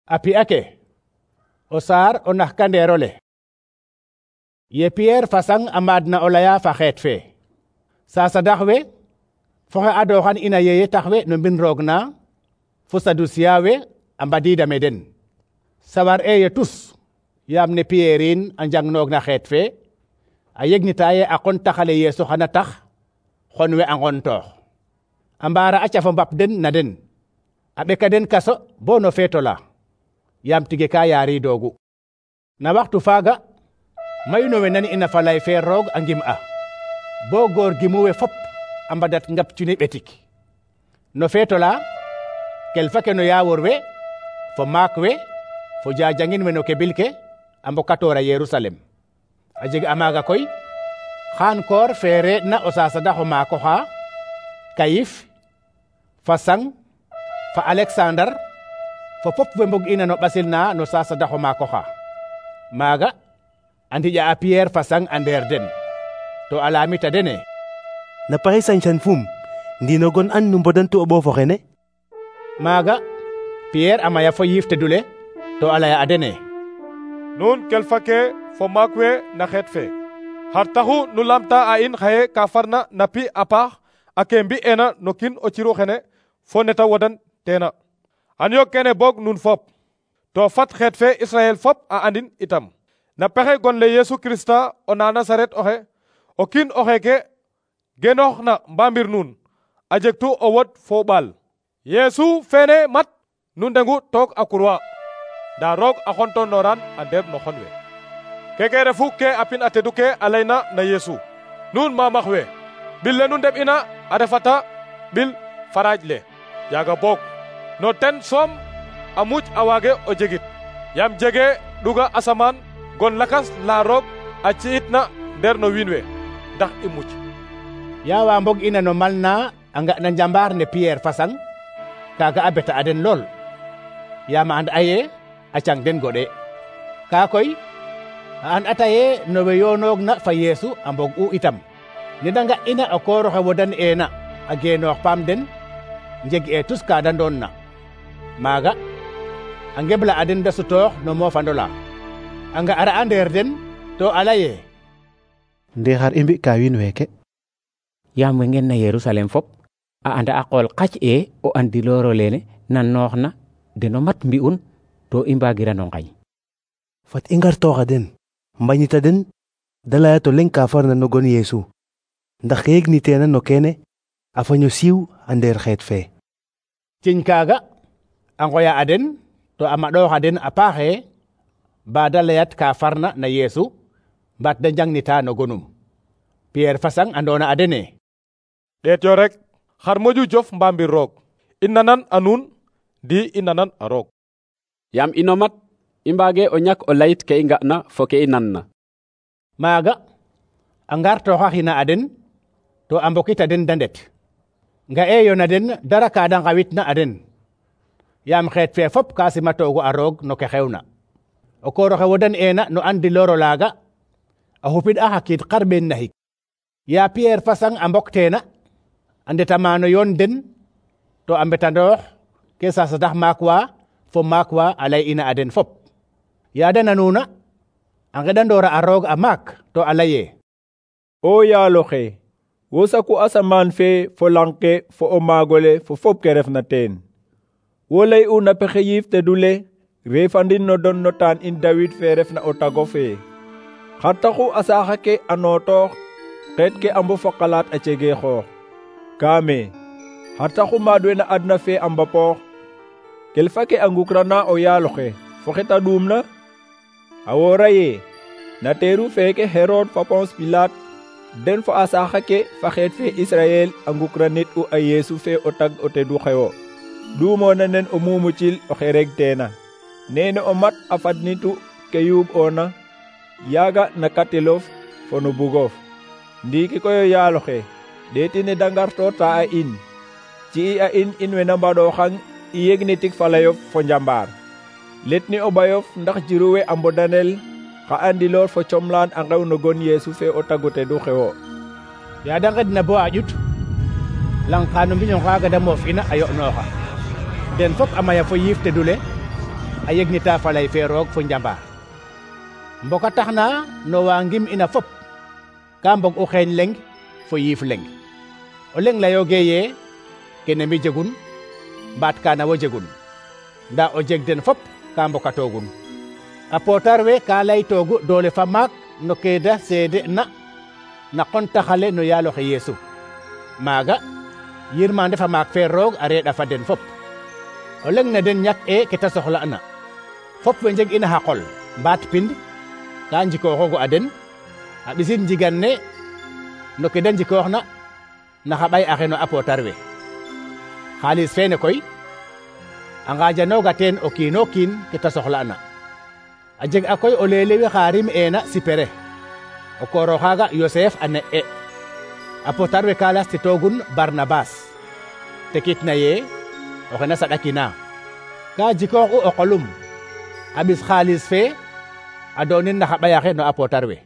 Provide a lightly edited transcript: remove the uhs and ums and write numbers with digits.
A pi'a ke o saar o naxkandeer ole. Ye Pierre fasang a maadna o laya fa xeet fe. Sasadax we fo xe adoxan ina yeye tax we no mbin roog na fo Sadusiya we a mbadiida me den. Sawar eye tus yaam ne Pierre in a njangnoog na xeet fe a yegnita ye a qon taxale Yeesu xana tax xon we a nqontoox. A mbaara a cafo mbap den na den a ɓeka den kaso bo no feeto la yaam tige ka yaariidoogu. Na waxtu faaga mayu no we nan ina fa lay fe roog a ngim a bo goor gimu we fop a mbadat ngap cuni ɓetik. No feeto la kelfa ke no yaawor we fo maak we fo jajangin we no kebil ke a mbokatoora Yerusalem. A jeg a maaga koy xaan koor feere na o Sasadax o maako xa Kayif fa Sang fa Alexandar fo fop we mbog ina no ɓasil na no Sasadax o maako xa. Maaga a ndiƴa a Pierre fa Sang a ndeer den to a laamita dene: na paxe sañ-sañ fum ndiino gon an nu mbodantu o ɓoof oxene? Maaga Pierre a maya fo yiif tedule to a laya a dene: nuun kelfa ke fo maak we na xeet fe, xar taxu nu lamta a in xaye ka farna na pi a paax a ke mbi'eena no kiin o ciru xene fo neta wodan teena. Xan yo kene boog nuun fop to fat xeet fe Israel fop a andin itam na pexe gon le Yesu Krista o na Nasaret oxe, o kiin oxeke genoox na mbamir nuun a jegtu o wod fo ɓaal. Yesu fene mat nu ndengu toog a kurwa nda roog a xontonoran a ndeer no xon we. Keke refu ke a pin a tedu ke a layna na Yesu: nuun mamax we, ɓil le nu ndeɓ ina a refata ɓil faraaj le. Yaaga boog no ten soom a muj a waage o jegit, yaam jege ɗuga asamaan gon lakas la roog a ci'itna ndeer no wiin we ndax i muj. Yaawa mbog ina no mal na a nga na njambaar ne Pierre fa Sang kaaga a beta a den lool yaam a and aye a cang den goɗe. Kaa koy a an ataye no we yoonoog na fa Yeesu a mbog u itam ne da nga ina o kooroxe wodan eena a geenoox paam den njeg e tus ka da ndoon na. Maaga a ngebla a den da sutoox no moofandola a nga ara a ndeer den to a laye: nde xar i mbi' ka wiin weeke? yaam we ngen na Yerusalem fop a anda a qool qac e o andilooro lene nan noox na deno mat mbi'un to i mbagirano ngañ. Fat i ngartooxa den mbañita den da laya to leŋ ka farna no gon Yeesu ndax ke yegniteena no kene a faño siiw a ndeer xeet fe. Ciñ kaaga a ngoya a den to a maɗoox a den a paaxe ba da layat ka farna na Yeesu mbaat da njangnita no gonum. Pierre fa Sang andoona a dene: ɗeet yo rek xar moƴu jof mbamir roog, i nanan a nuun ndi i nanan a roog. Yaam ino mat i mbaage o ñak o layit ke i nga'na fo ke i nanna. Maaga a ngartooxaxina a den to a mbokita den da ndet nga'eeyo na den dara ka da ngawitna a den yaam xeet fe fop ka simatoogu a roog no ke xewna. O koor oxe wodan eena no andiloor olaaga a xupid a xa kiid xarɓeen naxik. Ya Pierre fa Sang a mbokteena a ndeta maano yoon den to a mbetandoox ke Sasadax maak wa fo maak wa a lay ina a den fop. Ya da nanuuna a ngeɗandoora a roog a maak to a laye: o yaalo xe, wo saku asamaan fe fo lang ke fo o maagole fo fop ke refna teen. Wo lay una pexe yiif tedule reefandin no don no taan in Dawid fe refna o tago fe. Xar taxu a saaxa ke a nootoox xeet ke a mbofo xalaat a cege xoox. Kaame xar taxu maad we na adna fe a mbapoox kelfa ke a ngukrana o yaalo xe fo xeta ɗuumna? A woora ye na teeru feeke Herod fa Ponce Pilate den fo a saaxa ke fa xeet fe Israel a ngukranit u a Yeesu fe o tag o tedu xewo ɗuumoona nen o mumucil oxe regteena. Nene o mat a fadnitu ke yuub oona yaaga na katilof fo no bugof. Ndiiki koy o yaalo xe ɗeetine da ngartoota a in ci'i a in we na mbaɗooxang i yegnitik falayof fo njambaar. Letni o ɓayof ndax jiru we a mbodanel xa andiloor fo comlaan a ngew no gon Yeesu fe o tagu tedu xewo. Ya da ngedna bo a ƴut lang ka no mbiño ngaaga da moof ina a yo'nooxa den fop a maya fo yiif tedule a yegnita falay fe roog fo njambaar mboka taxna no wa ngim ina fop ka mbog u xeeñ leng fo yiif leng o leng layoge ye kene mi jegun mbaat kana wo jegun nda o jeg den fop ka mbokatogun a potar we ka lay togu doole fa maak no keeda seede na qontaxale no yaaloxe Yeesu maaga yirmande fa maak fe roog a reeɗa fa den fop o leng na den ñak ke ta soxla na fop we njeg ina xa qol mbaat pind ka njikooxogu a den a ɓisin njigan ne no ke da njikooxna na xa ɓay axe no a potar we xaalis fene koy a ngajanooga teen o kiino kiin ke ta soxla na a jeg a koy o leelewi xa rim eena sipere o kooro xaaga Yosef a ne'e a potar we ka lastitoogun Barnabas tekitna ye oxe na saɗakina ka jikooxu o qolum a ɓis xaalis fe a doonin na xa ɓay axe no a potar we